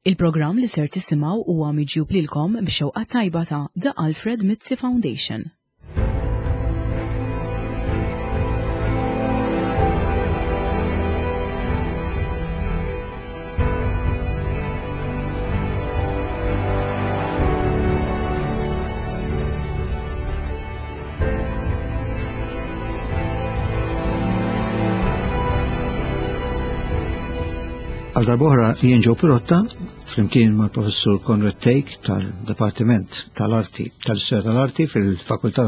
Il-programm li ser tisimgħu huwa miġjub lilkom b'xewqa tajba ta' The Alfred Mizzi Foundation. Għal darbohra jien Joe Pirotta, flimkien mal professur Konrad Take tal-Departiment tal-Arti, tal-Istorja tal-Arti fil-Fakultà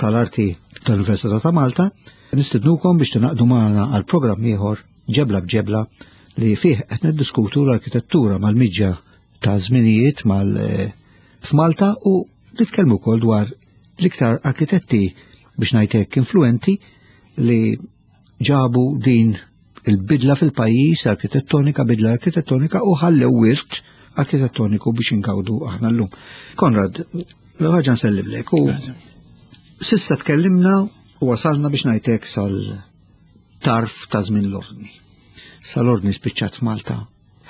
tal-Arti tal-Università ta' Malta, nistednukom biex tinaqdu magħna għal programm ieħor ġebla b'ġebla li fih qed niddiskutu l-arkitettura mal-miġja ta' żminijiet mal eh, f'Malta u nitkellmu wkoll dwar l-iktar arkitetti biex ngħidlek influenti li ġabu din il-bidla fil-pajjiż arkitettonika, bidla arkitettonika u ħallew wirt arkitettoniku biex ingawdu aħna llum. Konrad, l-ħaġa nsellimlek u sissa tkellimna u wasalna biex ngħidlek sal-tarf ta' żmien l-ordni. Sal-ordni spiċċat f'Malta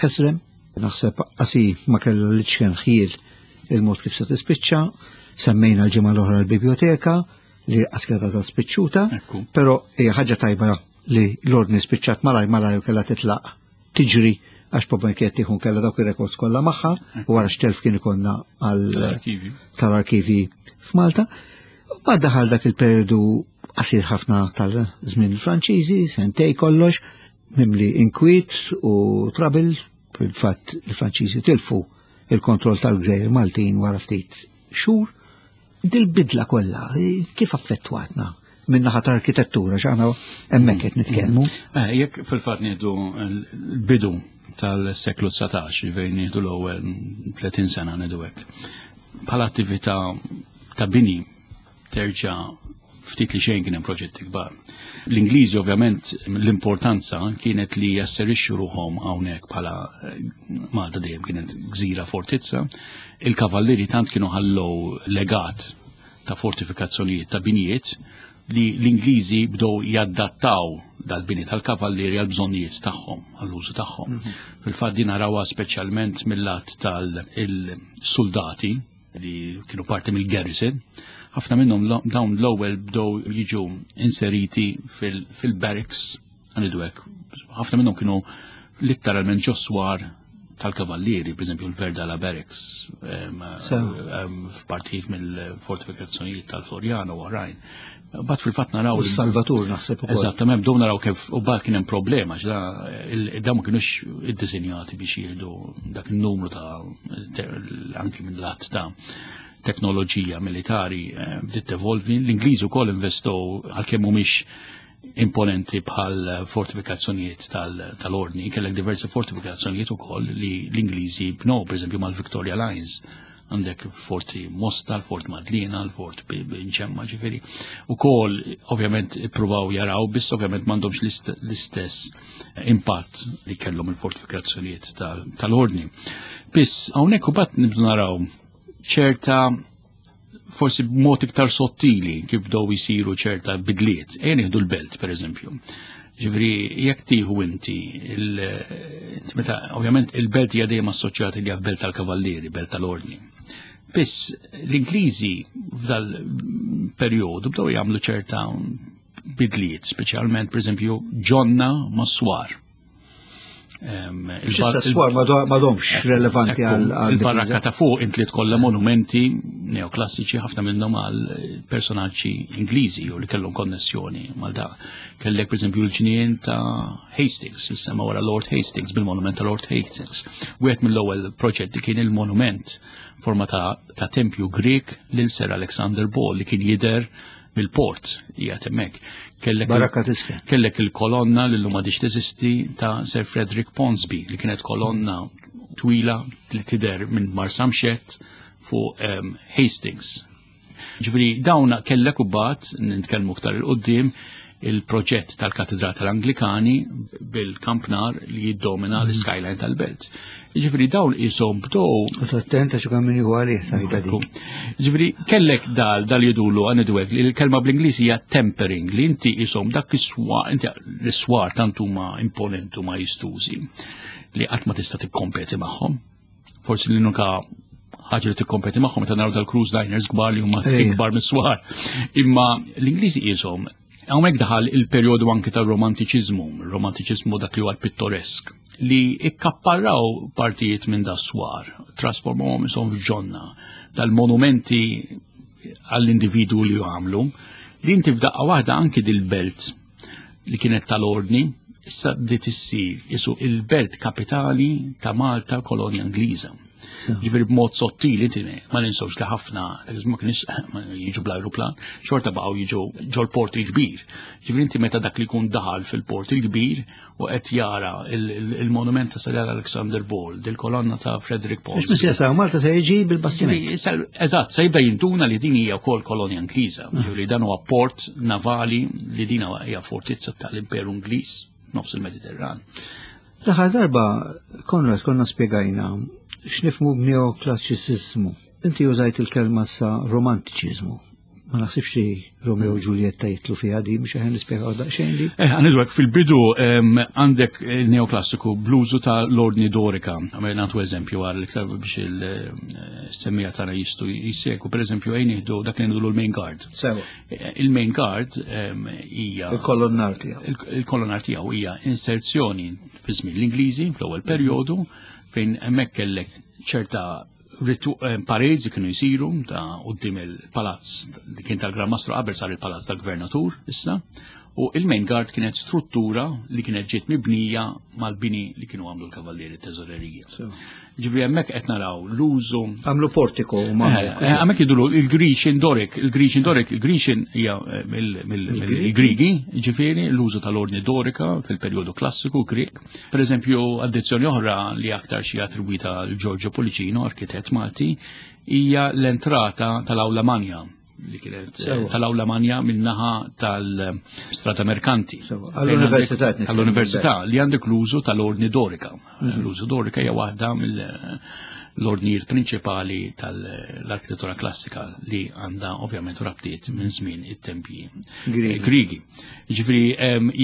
ħesrem, naħseb qasi ma kellha li ċken ħjiel il-mod kif se tispiċċa, semmejna l-ġimgħa l-oħra l-biblioteka li qas ta' spiċċuta, però hija ħaġa tajba li l-ordni spiċċat malaj malaj u kellha titlaq tiġri għax problemi kienet tieħu kellha dawk ir-rekords kollha magħha u wara x'telf kien ikollna għal tal-arkivi f'Malta. U bad daħal dak il-periodu qasir ħafna tal-żmien il-Franċiżi, sentej kollox, mimli inkwiet u trouble, fil-fatt il-Franċiżi tilfu il-kontroll tal-gżejjer Maltin wara ftit xhur. Dil-bidla kollha kif affettwatna min-naħa ta' arkitettura x'aħna hemmhekk qed nitkellmu. Eh, jekk fil-fatt nieħdu l-bidu tal-seklu 19, ġifieri nieħdu l-ewwel 30 sena ngħidu hekk. Bħala attività ta' bini terġa' ftit li xejn kien hemm proġetti kbar. L-Ingliżi ovvjament l-importanza kienet li jasserixxu ruħhom hawnhekk bħala eh, Malta dejjem kienet gżira fortizza. Il-kavallieri tant kienu ħallew legat ta' fortifikazzjonijiet ta' binjiet li l-Ingliżi bdew jaddattaw dal-bini tal-kavallieri għal bżonnijiet tagħhom, għall-użu tagħhom. Mhm. Fil-fatt din narawha speċjalment mill-lat tal-soldati li kienu parti mill-garrison, ħafna minnhom dawn l-ewwel bdew jiġu inseriti fil-barracks għanidu hekk. Ħafna minnhom kienu litteralment ġo swar tal-kavallieri, per eżempju l-Verdala Barracks, f'partijiet mill-fortifikazzjonijiet tal-Floriano u oħrajn. Bat fil-fatt naraw. U Salvatur naħseb ukoll. Eżattament, bdew naraw kif u bat kien hemm problema, ġda dawn ma kinux iddisinjati biex jieħdu dak in-numru ta' anki minn lat ta' teknoloġija militari eh, bdiet tevolvi. L-Ingliżi wkoll investow għalkemm mhumiex imponenti bħal fortifikazzjonijiet tal-ordni, kellek diversi fortifikazzjonijiet ukoll li l-Ingliżi bnow, pereżempju mal-Victoria Lines għandek forti Mosta, l-Fort Madlina, l-Fort Nċemma ġifiri. U kol, ovvjament, provaw jaraw, biss ovvjament mandomx l-istess impatt li kellhom il-fortifikazzjonijiet tal-ordni. Biss, hawnhekk u bat nibdu naraw ċerta forsi b'mod iktar sottili kif bdew jisiru ċerta bidliet. Ejja nieħdu l-belt, per eżempju. Ġifri, jekk tieħu inti, meta ovvjament il-belt hija dejjem assoċjata li belt tal-kavallieri, belt tal-ordni. Biss l-Ingliżi f'dal perjodu bdew jagħmlu ċerta bidliet, speċjalment pereżempju ġonna mas-swar. Il-swar ma domx relevanti għal Il-barrakka ta' fuq int li tkollha monumenti neoklassiċi ħafna minnhom għal personaġġi Ingliżi u li kellhom konnessjoni mal da. Kellek pereżempju l-ġnien ta' Hastings, jissema wara Lord Hastings bil-monument ta' Lord Hastings. Wieħed mill-ewwel proġetti kien il-monument forma ta', ta tempju Grek lil Sir Alexander Ball li kien jidher mill-port qiegħed hemmhekk. Kellek Baraka tisfel. Kellek il-kolonna li llum għadix teżisti ta' Sir Frederick Ponsby li kienet kolonna twila li tidher minn Marsamxett fuq um, Hastings. Ġifieri dawn kellek u bat nitkellmu aktar il-qudiem il-proġett tal-Katedra tal-Anglikani bil-kampnar li jiddomina mm. l-skyline tal-belt. Ġifri dawn isom bdow. Attent għax kemm min għalih tajta dik. Ġifri kellek dal dal jidulu għanidwek li l-kelma bl-Ingliż hija tempering li inti isom dak is-swar inti l-swar tant huma imponentu ma jistużi li qatt ma tista' tikkompeti magħhom. Forsi l-unika ħaġa li tikkompeti magħhom meta naraw dal-cruise liners kbar li huma ikbar mis-swar. Imma l-Ingliżi qishom hawnhekk daħal il-perjodu anke tar-romantiċiżmu, romantiċiżmu dak li huwa l-pittoresk, li ikkapparraw partijiet minn da swar, trasformawhom ishom f'ġonna dal-monumenti għall-individwu li għamlu, li inti f'daqqa waħda anki dil-belt li kienet tal-ordni, issa bdiet issir isu il-belt kapitali ta' Malta kolonja Ingliża. Ġifieri b'mod sottili inti ma ninsewx li ħafna ma kienx jiġu bl-ajruplan, xorta baqgħu jiġu ġol-port il-kbir. Ġifieri inti meta dak li jkun daħal fil-port il-kbir u qed jara il-monument ta' Sir Alexander Ball, il-kolonna ta' Frederick Paul. Mhux se Malta se jiġi bil-bastiment. Eżatt, se jibda jinduna li din hija wkoll kolonja Ingliża, ah. li dan huwa port navali li din hija fortizza tal-Imperu Ingliż f'nofs il-Mediterran. L-aħħar darba, Konrad, konna spjegajna x'nifmu b'neoklassiċiżmu. Inti użajt il-kelma sa romantiċiżmu. Ma naħsibx li Romeo u Giulietta jitlu fiha di, mhux aħna nispjegaw daqsxejn di. Eh, għanidwek fil-bidu għandek il-neoklassiku bl-użu ta' l-ordni dorika. Għamil nagħtu eżempju għal iktar biex il-semmija tagħna jistgħu jissegwu. Per eżempju, ejn nieħdu dak li ngħidu l-main guard. Sewa. Il-main guard hija il-kolonnar tiegħu. Il-kolonnar tiegħu hija inserzjoni fi żmien l-Ingliżi fl-ewwel perjodu fejn hemmhekk kellek ċerta eh, parades li kienu jsiru ta' quddiem il-palazz li kien tal-Gran Mastru qabel sar il-palazz tal-Gvernatur issa u il-main guard kienet struttura li kienet ġiet mibnija mal-bini li kienu għamlu l-kavallieri teżorerija. Ġifieri hemmhekk qed naraw l-użu. Għamlu portiko u ma. Eh, eh, hemmhekk jidulu il-Grecian Doric, il-Grecian Doric, il-Grecian hija eh, mill-Grigi, ġifieri l-użu tal-ordni Dorika fil-perjodu klassiku Grek. Per eżempju, addizzjoni oħra li aktar xi attribwita l Giorgio Policino, arkitett Malti, hija l-entrata tal-Awla Manja li kienet eh, tal-Awla Manja min-naħa tal-Strata Merkanti. Għall-Università. Għall-Università li għandek l-użu tal-Ordni Dorika. Mhm. L-użu Dorika hija waħda mill-ordnijiet prinċipali tal-arkitettura klassika li għandha ovvjament rabtiet minn żmien it-tempji Grigi. Ġifieri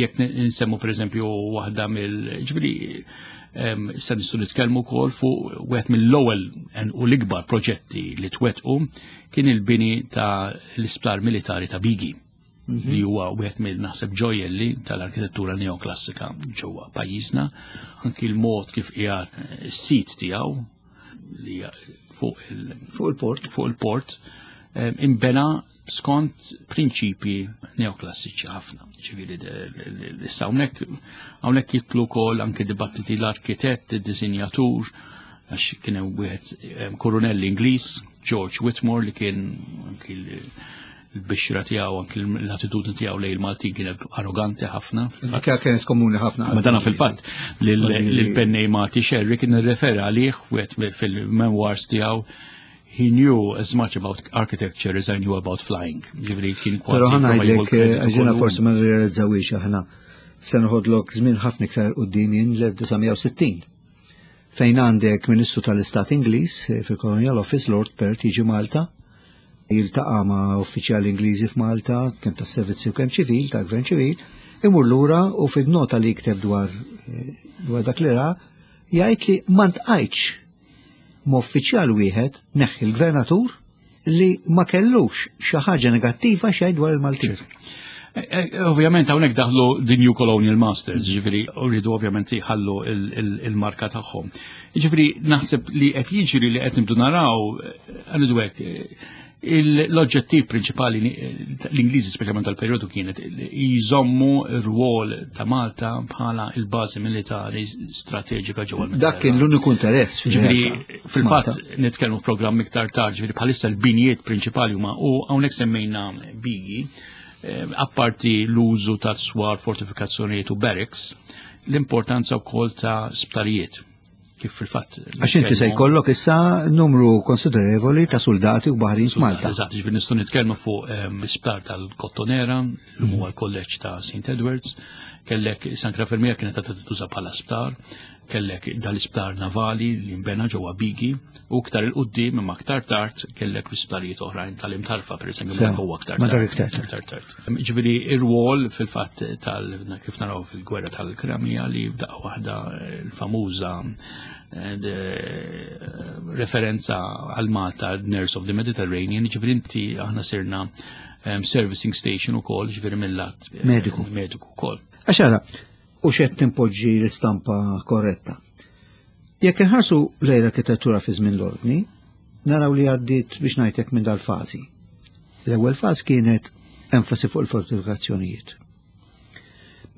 jekk nsemmu pereżempju waħda mill ġifieri issa nistgħu nitkellmu wkoll fuq wieħed mill-ewwel u l-ikbar proġetti li twettqu kien il-bini ta' l-isptar militari ta' Bigi mhm. li huwa wieħed mill naħseb ġojjelli tal-arkitettura neoklassika ġewwa pajjiżna, anki l-mod kif qiegħed is-sit tiegħu li fuq il-port fuq il-port imbena skont prinċipji neoklassiċi ħafna. Ġifieri issa hawnhekk hawnhekk jitlu wkoll anke dibattiti l-arkitett, id-disinjatur, għax kien hemm wieħed kurunell Ingliż, George Whitmore li kien anki l-bixra tiegħu anki l-attitudni tiegħu lejn il-Maltin kienet arroganti ħafna. Dik kienet komuni ħafna. Ma dana fil-fatt li l-pennej Malti Sherry kien irrefera għalih fil-memoirs tiegħu he knew as much about architecture as I knew about flying. Ġifieri kien kważi. Però ħana ngħidlek eh, għax forsi ma nirrealizzawiex aħna se noħodlok żmien ħafna iktar quddiem jien l-1960 fejn għandek Ministru tal-Istat Ingliż eh, fil-Colonial Office Lord Perth jiġi Malta jiltaqa' ma' uffiċjali Ingliżi f'Malta kemm tas-servizzi u kemm ċivil, ta' gvern ċivil, imur lura u fid-nota li jikteb dwar eh, dwar dak li ra jgħid li ma ntqajtx ma' uffiċjal wieħed neħħi l-gvernatur li ma kellux xi ħaġa negattiva xejn dwar il-Maltin. Eh, eh, ovvjament hawnhekk daħlu the New Colonial Masters, ġifieri rridu ovvjament jħallu il-marka tagħhom. Ġifieri naħseb li qed jiġri li qed nibdu naraw eh, għandu hekk L-oġġettiv prinċipali l-Ingliżi speċjalment tal-perjodu kienet jżommu r-rwol ta' Malta bħala il-bażi militari strateġika ġewwa l Dak kien l-uniku interess. Ġifieri fil-fatt nitkellmu f'programm iktar tard, ġifieri bħalissa l-binjiet prinċipali huma u hawnhekk semmejna bigi, eh, apparti l-użu ta' swar, fortifikazzjonijiet u barracks, l-importanza wkoll ta' sptarijiet kif fil-fatt. Għax inti se jkollok issa numru konsiderevoli ta' soldati u baħrin f'Malta. Eżatt, ġifieri nistgħu nitkellmu fuq ehm, l-isptar tal-Kottonera, li huwa l-kolleġġ ta' St. Edwards, kellek San Fermier kienet ta' tuża bħala sptar, kellek dal-isptar navali li nbena ġewwa Bigi, u iktar il-qudiem imma aktar tard kellek l-isptarijiet oħrajn tal-imtarfa pereżempju ma huwa aktar tard. Aktar tard. Ġifieri ir-rwol fil-fatt tal kif naraw fil-gwerra tal-Krimija li f'daqqa waħda l-famuża eh, referenza għal Malta, Nurse of the Mediterranean, ġifieri inti aħna sirna servicing station ukoll, ġifieri mill-lat mediku. Mediku wkoll. Għax u xed timpoġġi l-istampa korretta. Jekk inħarsu lejn l-arkitettura fi żmien l-ordni, naraw li għaddiet biex ngħidlek minn dal-fażi. L-ewwel faż kienet enfasi fuq il-fortifikazzjonijiet.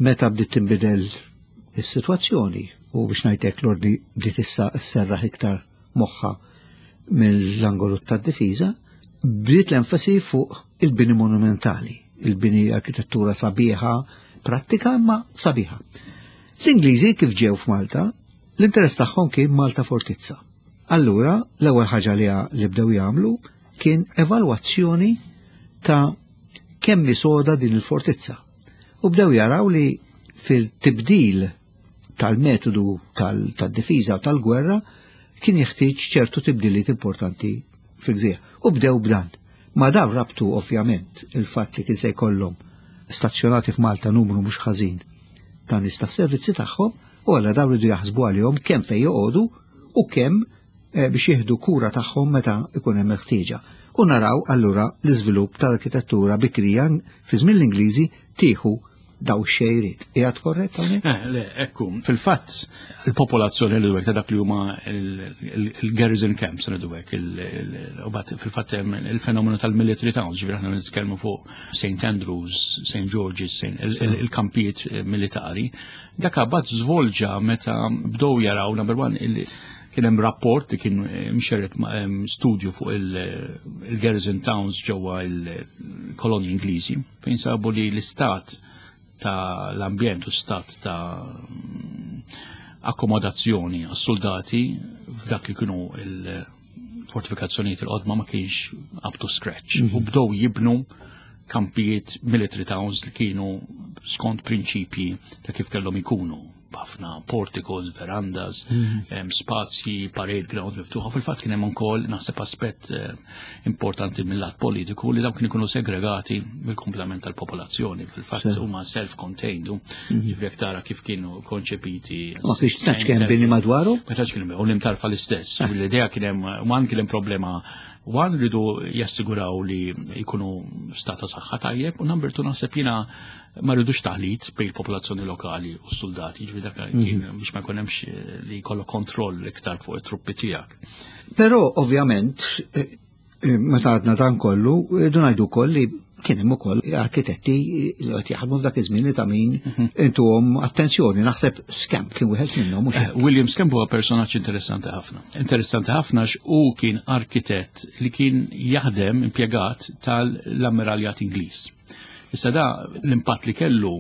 Meta bdiet tinbidel is-sitwazzjoni u biex ngħidlek l-ordni bdiet issa sserraħ iktar moħħa mill-angolu tad-difiża, bdiet l-enfasi fuq il-bini monumentali, il-bini arkitettura sabiħa, prattika imma sabiħa. L-Ingliżi kif ġew f'Malta, l-interess tagħhom kien Malta Fortizza. Allura, l-ewwel ħaġa li li bdew jagħmlu kien evalwazzjoni ta' kemm soda din il-fortizza. U bdew jaraw li fil-tibdil tal-metodu tal-difiża u tal-gwerra kien jeħtieġ ċertu tibdiliet importanti fil-gżira. U bdew b'dan. Ma dan rabtu ovvjament il-fatt li kien se jkollhom stazzjonati f'Malta numru mhux ħażin ta' nies tas-servizzi tagħhom u għalla dawn ridu jaħsbu għalihom kemm fejn joqogħdu u kemm eh, biex jieħdu kura tagħhom meta ikun hemm il-ħtieġa. U naraw allura l-iżvilupp tal-arkitettura bikrija fi żmien l-Ingliżi tieħu daw xejriet. Qiegħed korrett hawnhekk? Eh, le, ekku, fil-fatt il-popolazzjoni li ta' dak li huma il-garrison camps li dwek, u bat fil-fatt hemm il-fenomenu tal-military towns, ġifieri aħna nitkellmu fuq St. Andrews, St. George's, il-kampijiet militari. Dak bat żvolġa meta bdew jaraw number one kien hemm rapport li kien mxerret studju fuq il-garrison towns ġewwa il-kolonji Ingliżi fejn sabu li l-istat ta' l-ambjent u stat ta' akkomodazzjoni għas-soldati f'dak li kienu il-fortifikazzjonijiet il-qodma ma kienx up to scratch. U bdew jibnu kampijiet military towns li kienu skont prinċipji ta' kif kellhom ikunu b'ħafna porticos, verandas, spazji, parade ground miftuħa. Fil-fatt kien hemm ukoll naħseb aspett importanti mill-lat politiku li dawn kienu jkunu segregati mill-komplement tal-popolazzjoni. Fil-fatt huma self-contained, ġifieri jekk tara kif kienu konċepiti. Ma kienx tantx kien bini madwaru? Ma tantx kien u l-imtarfa l-istess. L-idea kien hemm one kien hemm problema. One, rridu jassiguraw li jkunu stata saħħa tajjeb, u number two, naħseb jiena ma rridux taħlit bejn il-popolazzjoni lokali u s-soldati, ġifieri dak kien biex ma jkun hemmx li jkollok kontroll iktar fuq it-truppi tiegħek. Però ovvjament meta għadna dan kollu, rridu ngħidu wkoll li kien hemm ukoll arkitetti li qed jaħdmu f'dak iż-żmien li ta' min intuhom attenzjoni. Naħseb Scamp kien wieħed minnhom mhux hekk? William Scamp huwa personaġġ interessanti ħafna. Interessanti ħafna għax hu kien arkitett li kien jaħdem impjegat tal-Ammiraljat Ingliż. Issa da l-impatt li kellu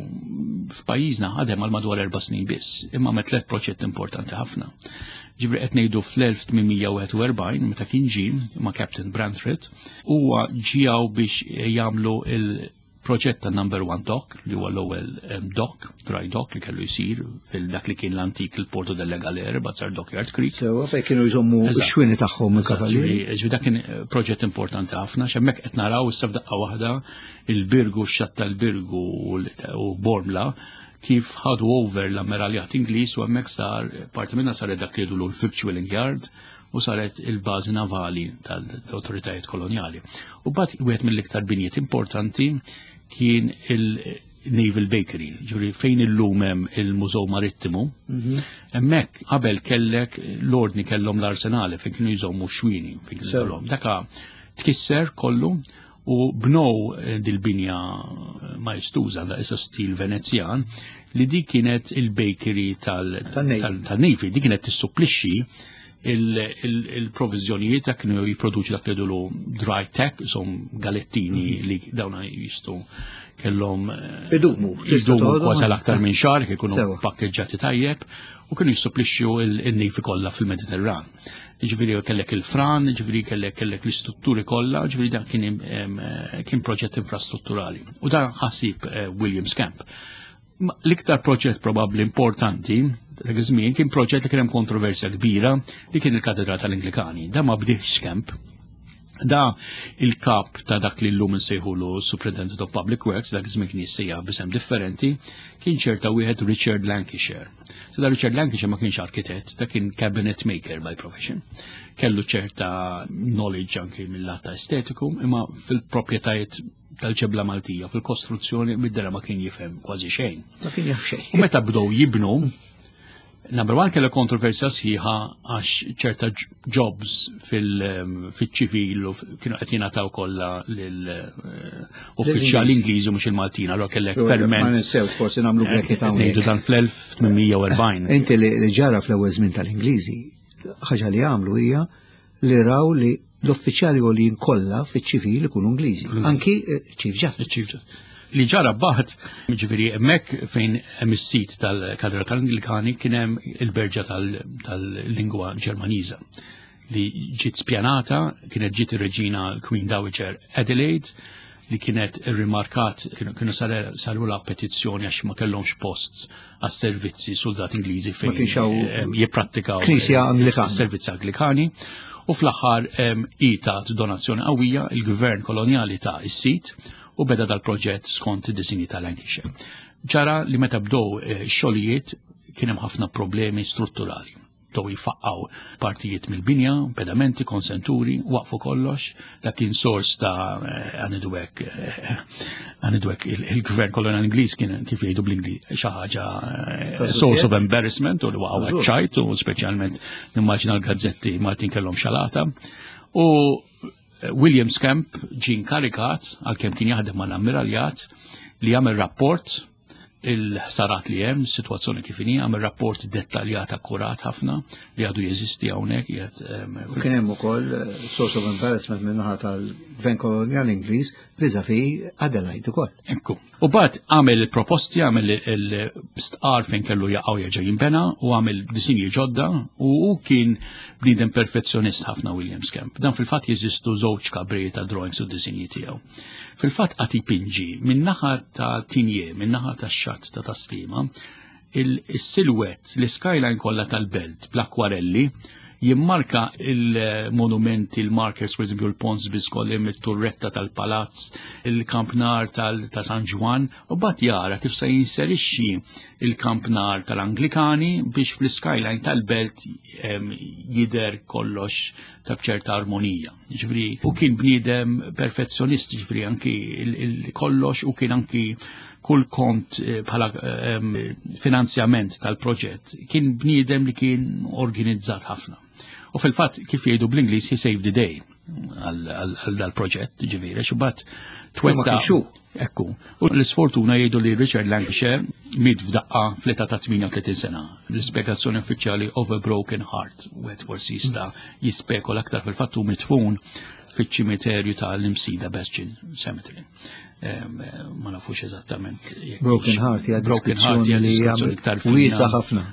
f'pajjiżna ħadem għal madwar 4 snin biss, imma me tliet proġett importanti ħafna. Ġifieri qed ngħidu fl-1841 meta kien ġie ma' Captain Brantford, huwa ġijaw biex jagħmlu il-proġett ta' Number One Dock, li huwa l-ewwel dock, dry dock li kellu jsir fil-dak li kien l-antik il-Porto delle Galere, bazzar Dockyard Creek. Sewa fejn kienu jżommu x-xwieni tagħhom il-kavalieri. Ġifieri dak kien proġett importanti ħafna, x'hemmhekk qed naraw issa f'daqqa waħda il-Birgu, x-xatt tal-Birgu u Bormla kif ħadu over l-ammiraljat Ingliż u hemmhekk sar parti minna saret dak li jgħidulu l-Victualling Yard u saret il-bażi navali tal-autoritajiet koloniali. U bat wieħed mill-iktar binjiet importanti kien il-Naval Bakery, ġifieri fejn illum hemm il-Mużew Marittimu. Hemmhekk qabel kellek l-ordni kellhom l-arsenali fejn kienu jżommu xwini, fejn kienu jkollhom. Daka tkisser kollu u bnow dil-binja maestuża da issa stil Venezjan li di kienet il-bakery tal-Navy, di kienet tissupplixxi il-provizjonijiet dak kienu jipproduċi dak li jgħidulu dry tack, som galettini li dawna jistu kellhom Idumu. Idumu kważi aktar minn xahar kif ikunu pakkeġġati tajjeb u kienu jissupplixxu il-Navy kollha fil-Mediterran. Ġifieri kellek il-fran, ġifieri kellek l-istrutturi kollha, ġifieri dan kien proġett infrastrutturali. U dan ħasib William Scamp. L-iktar proġett probabbli importanti dak iż-żmien kien proġett li kien hemm kontroversja kbira li kien il-Katedral tal-Anglikani. Dan ma bdiex Scamp. Da il-kap ta' dak li llum insejħulu Superintendent of Public Works, dak iż-żmien kien jissejjaħ b'isem differenti, kien ċerta wieħed Richard Lancashire. So da Richard Lancashire ma kienx arkitett, da kien cabinet maker by profession. Kellu ċerta knowledge anki mill-lat ta' estetiku, imma fil-proprjetajiet tal-ġebla Maltija, fil-kostruzzjoni mid-dera ma kien jifhem kważi xejn. Ma kien jaf xejn. U meta bdew jibnu, Number one kellha kontroversja sħiħa għax ċerta jobs fil-ċivil u kienu qed jingħataw kollha lil eh, uffiċjali Ingliżi mhux il-Maltin, allura kellek ferment. Ma ninsewx forsi nagħmlu eh, bracket hawnhekk. Ngħidu dan fl-1840. Inti li ġara fl-ewwel żmien tal-Ingliżi, ħaġa li għamlu hija li raw li l-uffiċjali għoljin kollha fiċ-ċivil ikunu Ingliżi, anki eh, Chief Justice. Li ġara baħt, ġifieri hemmhekk fejn hemm is-sit tal-Katedra tal-Anglikani kien hemm il-berġa tal-lingwa Ġermaniża li ġiet spjanata, kienet ġiet ir-reġina Queen Dowager Adelaide li kienet irrimarkat, kienu saru la petizzjoni għax ma kellhomx post għas-servizzi soldat Ingliżi fejn eh, jipprattikaw Knisja Anglikana. Servizzi Anglikani. U fl-aħħar itat donazzjoni qawwija il-gvern kolonjali ta' is-sit u beda dal-proġett skont id-disinji ta' Lancashire. Ġara li meta bdew eh, xogħlijiet kien hemm ħafna problemi strutturali bdew jifaqqaw partijiet mill-binja, pedamenti, konsenturi, waqfu kollox, dak kien sors ta' eh, għanidwek eh, għanidwek il-gvern kolonial Ingliż kien kif jgħidu bl-Ingliż xi ħaġa eh, source of embarrassment u li waqgħu ċajt u speċjalment nimmaġina l-gazzetti Maltin kellhom xalata. U William Scamp ġie inkarikat għalkemm kien jaħdem mal-ammiraljat li jagħmel rapport il-ħsarat li hemm, situazzjoni kif inhi, għamel rapport dettaljat akkurat ħafna li għadu jeżisti hawnhekk qiegħed. Kien hemm ukoll eh, source of embarrassment min-naħa tal-Gvern Kolonjal Ingliż vis-à-vis Adelaide ukoll. Ekku. U bat għamel il-proposti, għamel il-stqar fejn kellu jaqgħu jerġa' jinbena u għamel disinji ġodda u hu kien bniedem perfezzjonist ħafna William Skemp. Dan fil-fatt jeżistu żewġ kabri ta' drawings u disinji tiegħu. Fil-fatt qed ipinġi min-naħa ta' Tinje, min-naħa tax-xatt ta' Taslima, il-silwett, l-skyline kollha tal-belt bl-akwarelli jimmarka il-monumenti, il-markers, per esempio il-Pons Biskolim, il-turretta tal-palazz, il-kampnar ta' San Ġwan, u bat jara kif se jinserixxi il-kampnar tal-Anglikani biex fl-skyline tal-belt jider kollox ta' bċerta armonija. Ġifri, u kien bniedem perfezzjonist, ġifri anki kollox u kien anki kull kont eh, bħala eh, finanzjament tal-proġett kien bniedem li kien organizzat ħafna. U fil-fatt kif jgħidu bl-Ingliż he saved the day għal dal-proġett, ġifieri, xi twetta. Ekku. U l-isfortuna jgħidu li Richard Lancashire miet f'daqqa fl-età ta' 38 sena. L-ispjegazzjoni uffiċjali of a broken heart, wieħed forsi jista' jispekola aktar fil-fatt hu midfun fiċ-ċimiterju ta' l-Imsida Bastion Cemetery. Ma nafux eżattament. Broken heart hija deskrizzjoni li hija iktar wiesa ħafna.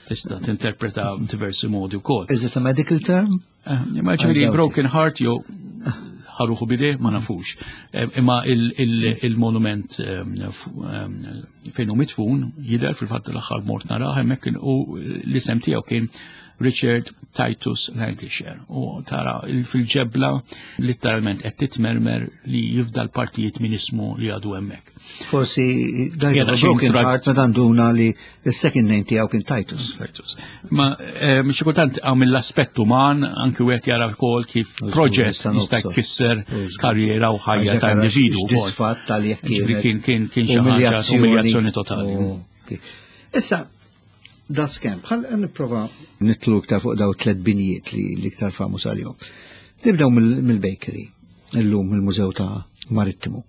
Tista' tinterpreta diversi modi wkoll. Is it a medical term? Eh, imma ġifieri broken heart jew ħaruħu bide ma nafux. Eh, imma il-monument eh, fejn hu mitfun jidher fil-fatt l-aħħar mort narah hemmhekk u l-isem tiegħu kien Richard Titus Lancashire u tara fil-ġebla letteralment qed titmermer li jifdal partijiet minn ismu li għadu hemmhekk. Forsi dajja Broken Heart meta nduna li s-second name tiegħu kien Titus. Titus. Ma eh, xi kultant hawn mill-aspett uman anki wieħed jara wkoll kif proġett jista' jkisser karriera u ħajja ta' individu. Disfatt tal jekk kien kien kien xi ħaġa umiljazzjoni totali. Issa, da skem, bħal nipprova nitlu iktar fuq daw tlet binjiet li l-iktar famuż għalihom. Nibdew mill-bakery, illum il-Mużew ta' Marittimu,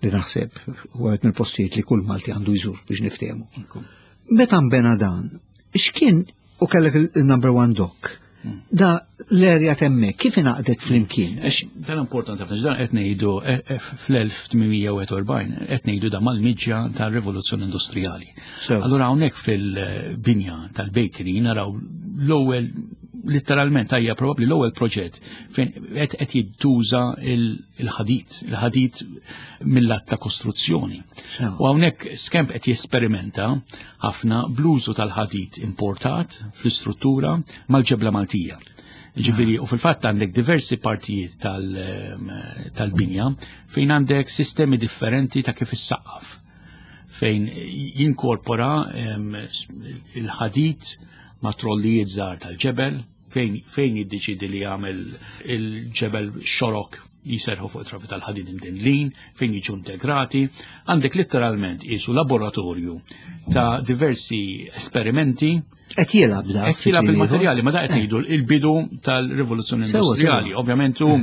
li naħseb u għed mill-postijiet li kull Malti għandu jżur biex niftehmu. Meta nbena dan, x'kien u kellek il-number one dock, Da l-erja temmek, kif inaqdet flimkien? Dan importanti ħafna, dan qed ngħidu eh, eh, fl-1841, qed ngħidu da mal-miġja tar-rivoluzzjoni industrijali. Allura hawnhekk fil-binja tal-bakery naraw l-ewwel letteralment hija probabbli l-ewwel proġett fejn qed jittuża il-ħadid, il-ħadid mill-att ta' kostruzzjoni. U hawnhekk Skemp qed jesperimenta ħafna bl-użu tal-ħadid importat fl-istruttura mal-ġebla Maltija. Ġifieri, u fil-fatt għandek diversi partijiet tal-binja fejn għandek sistemi differenti ta' kif issaqqaf fejn jinkorpora il-ħadid ma' trollijiet żgħar tal-ġebel, fejn fejn jiddeċidi li jagħmel il-ġebel xorok jiserħu fuq trafi tal-ħadid imdinlin, fejn jiġu integrati, għandek letteralment qisu laboratorju ta' diversi esperimenti. Qed jilgħab da. Qed jilgħab il-materjali, ma da qed ngħidu il-bidu tal-rivoluzzjoni industrijali, ovvjament u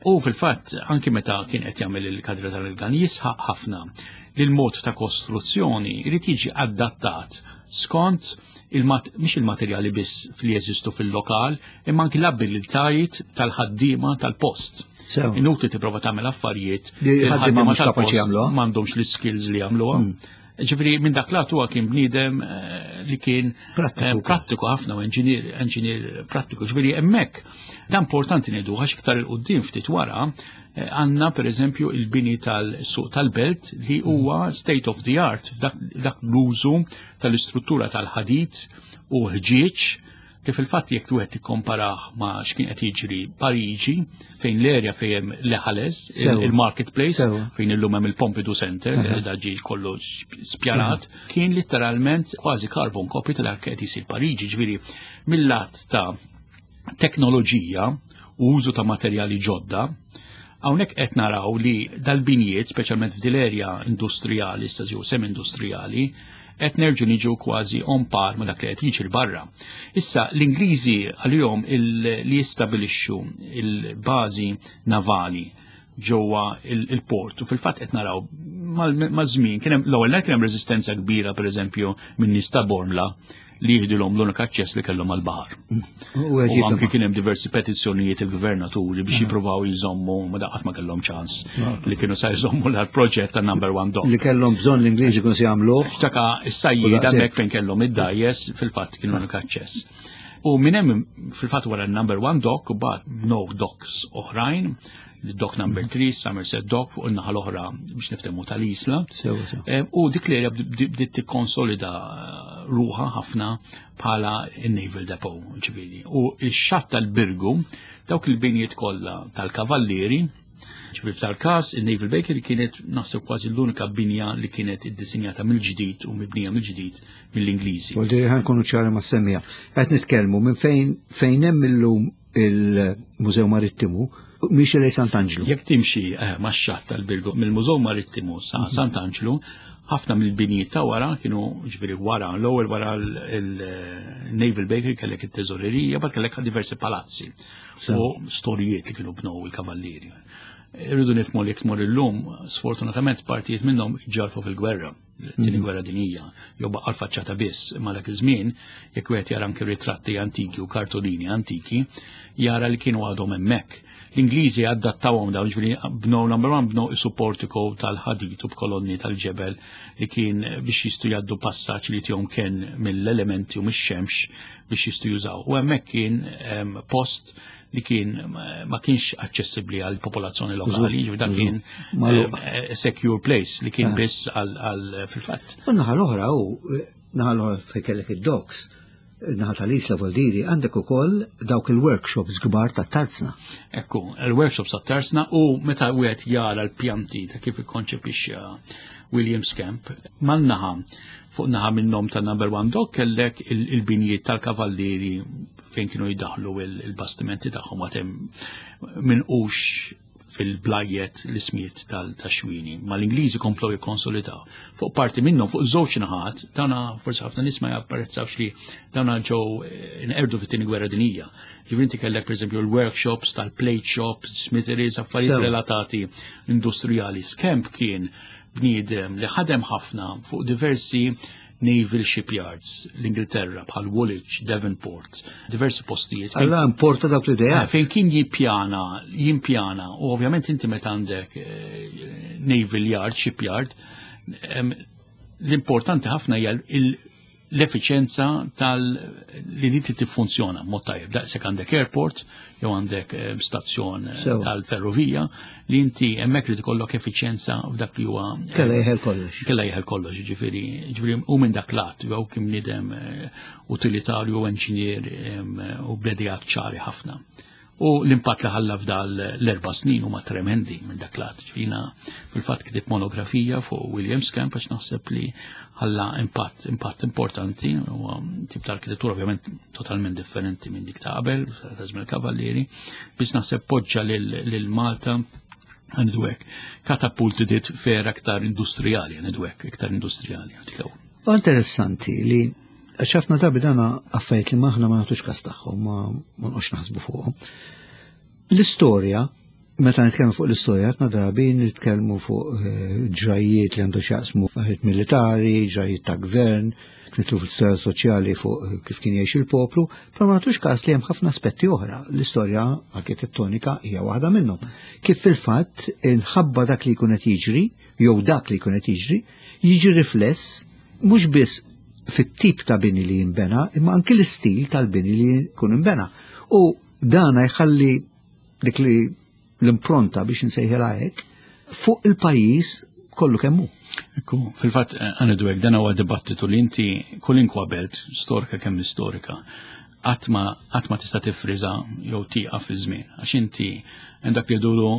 u fil-fatt anki meta kien qed jagħmel il-kadra tal-gan jisħaq ħafna li l-mod ta' kostruzzjoni jrid jiġi adattat skont mhix il-materjali biss li jeżistu fil-lokal, imma anki l-abilitajiet tal-ħaddiema tal-post. Inutli tipprova tagħmel affarijiet li l-ħaddiema tal-post m'għandhomx l-skills li jagħmluha. Ġifieri minn dak lat huwa kien bniedem eh, li kien eh, prattiku ħafna u enġinier prattiku. Ġifieri hemmhekk dan importanti ngħidu għax iktar il-qudiem ftit wara eh, għandna pereżempju il-bini tal-suq tal-belt li huwa state of the art dak l-użu tal-istruttura tal-ħadid u ħġieġ li fil-fatt jekk wieħed tikkomparah ma' x'kien qed jiġri Pariġi fejn l-erja fejn hemm l-Ħales, il-marketplace, fejn illum hemm il-Pompidou Center, da ġie kollu spjanat, kien litteralment kważi carbon copy ta' dak qed isir Pariġi, ġifieri mill-lat ta' teknoloġija u użu ta' materjali ġodda, hawnhekk qed naraw li dal-binjiet, speċjalment f'dil-erja industrijali, jew semi-industrijali, qed nerġu niġu kważi on par ma dak li qed jiġri barra. Issa l-Ingliżi għalihom li jistabilixxu il-bażi navali ġewwa il-port u fil-fatt qed naraw maż-żmien kien hemm l-ewwel kien hemm reżistenza kbira pereżempju minn nies ta' Bormla li jihdilhom l-unika aċċess li kellhom għall-baħar. U anki kien hemm diversi petizzjonijiet il-gvernaturi biex jippruvaw jżommu ma daqat ma kellhom ċans li kienu sa jżommu l-proġett ta' number one dog. Li kellhom bżonn l-Ingliżi kienu se jagħmluh. Taka s-sajjied hemmhekk fejn kellhom id-dajjes fil-fatt kienu l-unika aċċess. U minn hemm fil-fatt wara number one dock u bat no docks oħrajn dock number 3, Somerset Dock fuq in-naħa l-oħra biex niftehmu tal-Isla. Eh, u dik l-erja bdiet tikkonsolida ruħa ħafna bħala il-Naval Depot, ġifieri. U x-xatt tal-Birgu, dawk il-binjiet kollha tal-Kavallieri, ġifieri f'tal-każ il-Naval Bakery kienet naħseb kważi l-unika binja li kienet iddisinjata mill-ġdid u mibnija mill-ġdid mill-Ingliżi. U ġiri ħankunu ċari ma' semmija. Qed nitkellmu minn fejn fejn hemm illum il-Mużew Marittimu miex lej Sant'Anġlu. Jekk timxi eh, max-xatt tal-Birgu mill-Mużew Marittimu sa mhm. Sant'Anġlu, ħafna mill-binijiet ta' wara kienu ġifieri wara, l-ewwel wara l-Naval Bakery kellek it-teżorerija, bad kellek diversi palazzi u storijiet li kienu bnow il-kavallieri. Irridu nifhmu li jekk tmur illum, sfortunatament partijiet minnhom ġarfu fil-gwerra tieni mhm. gwerra dinjija, jew baqa' l-faċċata biss, imma dak iż-żmien jekk wieħed jara anke ritratti antiki u kartolini antiki, jara li kienu għadhom hemmhekk. L-Ingliżi adattawhom dawn ġifieri bnew number one bnew is-supportico tal-ħadid u b'kolonni tal-ġebel li kien biex jistgħu jgħaddu passaġġ li tihom kien mill-elementi u mix-xemx biex jistgħu jużaw. U hemmhekk kien ehm, post li kien ma kienx aċċessibbli għal popolazzjoni lokali, ġifieri dak kien eh, secure place li kien eh. biss għal fil-fatt. U naħa l-oħra u eh, naħa l-oħra fejn kellek id-docs, naħa tal-Isla Voldiri, għandek ukoll dawk il-workshops kbar ta' tarzna. Ekku, il-workshops ta' tarzna u meta wieħed jara l-pjanti ta' kif ikkonċepixxa Williams Camp, man-naħa fuq naħa minnhom ta' number one dog kellek il-binjiet tal-kavallieri fejn kienu jidaħlu il-bastimenti tagħhom għad hemm minqux fil-blajjet l-ismijiet tal-xwini. Ma l-Ingliżi komplow jikkonsolidaw. Fuq parti minnhom, fuq żewġ naħat, dawna forsi ħafna nies ma japprezzawx li dawna ġew eh, inqerdu fit-tieni gwerra dinjija. Ġifieri inti kellek pereżempju l-workshops tal-plate shops, smitheries, affarijiet relatati industrijali. Skemp kien bniedem li ħadem ħafna fuq diversi naval shipyards l-Ingilterra bħal Woolwich, Devonport, diversi postijiet. Alla importa dawk l-idea. Eh, fejn kien jippjana, jimpjana, u ovvjament inti meta għandek eh, naval yard, shipyard, l-importanti ħafna hija l-effiċenza tal li di tiffunzjona mod tajjeb. Daqshekk għandek airport jew għandek eh, stazzjon eh, tal-ferrovija li inti hemmhekk li tkollok effiċenza f'dak li huwa eh, Kella jeħel kollox. Kella jeħel kollox, ġifieri, ġifieri u minn dak lat jew kien bniedem utilitarju u enġinier u bledijat ċari ħafna. U l-impatt li ħalla f'dal l-erba' snin huma tremendi minn dak lat. Ġifieri fil-fatt ktib monografija fuq William Scamp għax naħseb li ħalla impatt impatt importanti u tip ta' arkitettura ovvjament totalment differenti minn dik ta' qabel, ta' żmien il-Kavallieri, biss naħseb poġġa lil Malta għandu hekk. Katapulti dit fer aktar industrijali, għandu hekk, iktar industrijali. Interessanti li Għax ħafna drabi dana affarijiet li maħna ma nagħtux każ tagħhom, ma nqgħodx naħsbu fuqhom. L-istorja, meta nitkellmu fuq l-istorja, ħafna drabi nitkellmu fuq eh, ġrajiet li għandu x'jaqsmu affarijiet militari, ġrajiet ta' gvern, nitlu fl-istorja soċjali fuq eh, kif kien jgħix il-poplu, però ma nagħtux każ li hemm ħafna aspetti oħra. L-istorja arkitettonika hija waħda minnhom. Kif fil-fatt inħabba dak li jkun qed jiġri, jew dak li jkun qed jiġri, jiġi rifless mhux biss fit-tip ta' bini li jinbena, imma anki l-istil tal-bini li jkun inbena. U dana jħalli dik li l-impronta biex nsejħilha hekk fuq il-pajjiż kollu kemm hu. Ekku, fil-fatt eh, għanidu hekk dan huwa dibattitu li inti kulinkwa belt storika kemm istorika qatt ma tista' tifriża jew tieqaf fi żmien. Għax inti hemm dak li jduru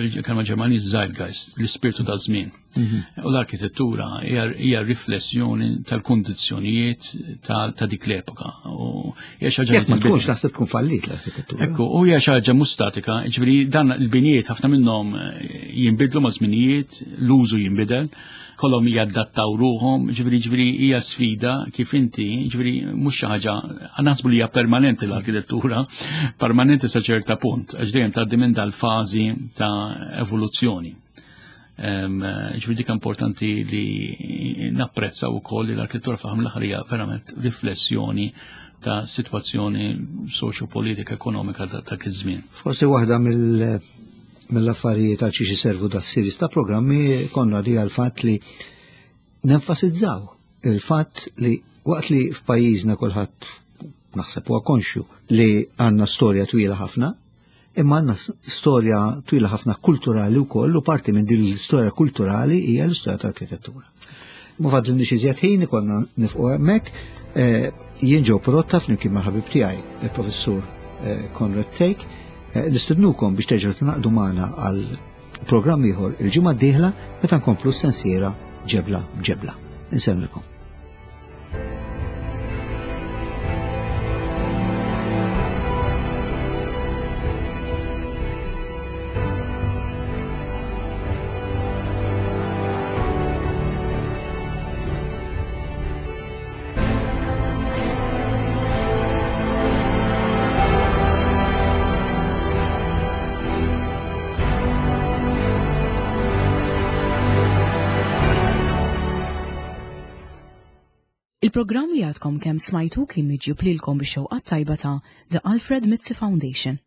il-kelma Ġermaniż Zeitgeist, l-ispirtu ta' żmien. Mhm. U l-arkitettura hija riflessjoni tal-kundizzjonijiet ta' dik l-epoka. U hija xi ħaġa li ma tkunx naħseb tkun fallit l-arkitettura. Ekku, u hija xi ħaġa mhux statika, ġifieri dan il-binijiet ħafna minnhom eh, jinbidlu ma' żminijiet, l-użu jinbidel kollhom jadattaw ruhom, ġifieri ġifieri hija sfida kif inti, ġifieri mhux xi ħaġa naħsbu li hija permanenti l-arkitettura, permanenti sa ċerta punt, għax dejjem tgħaddi minn dal-fażi ta' evoluzzjoni. Ġifieri dik importanti li napprezzaw ukoll li l-arkitettura fl l-aħħar hija verament riflessjoni ta' situazzjoni soċjo-politika ekonomika ta' kif żmien. Forsi waħda mill mill-affarijiet għal xiex iservu da' series ta' programmi konna di għal fatt li nenfasizzaw il-fatt li waqt li f'pajjiżna kulħadd naħseb huwa konxju li għandna storja twila ħafna, Imma għandna storja twila ħafna kulturali wkoll u parti minn din l-istorja kulturali hija l-istorja tal-arkitettura. Ma fadlilniex iżjed ħin ikollna nifqu hemmhekk. Eh, jien ġew prodotta flimkien mal-ħabib tiegħi, il-professur eh, Konrad Take, eh, nistednukom biex terġgħu tingħaqdu magħna għal programm ieħor il-ġimgħa d-dieħla meta nkomplu s-sensiela ġebla b'ġebla. Insellmilkom. Il-programm li għadkom kemm smajtu kien miġjub lilkom bix-xewqat tajba ta' The Alfred Mizzi Foundation.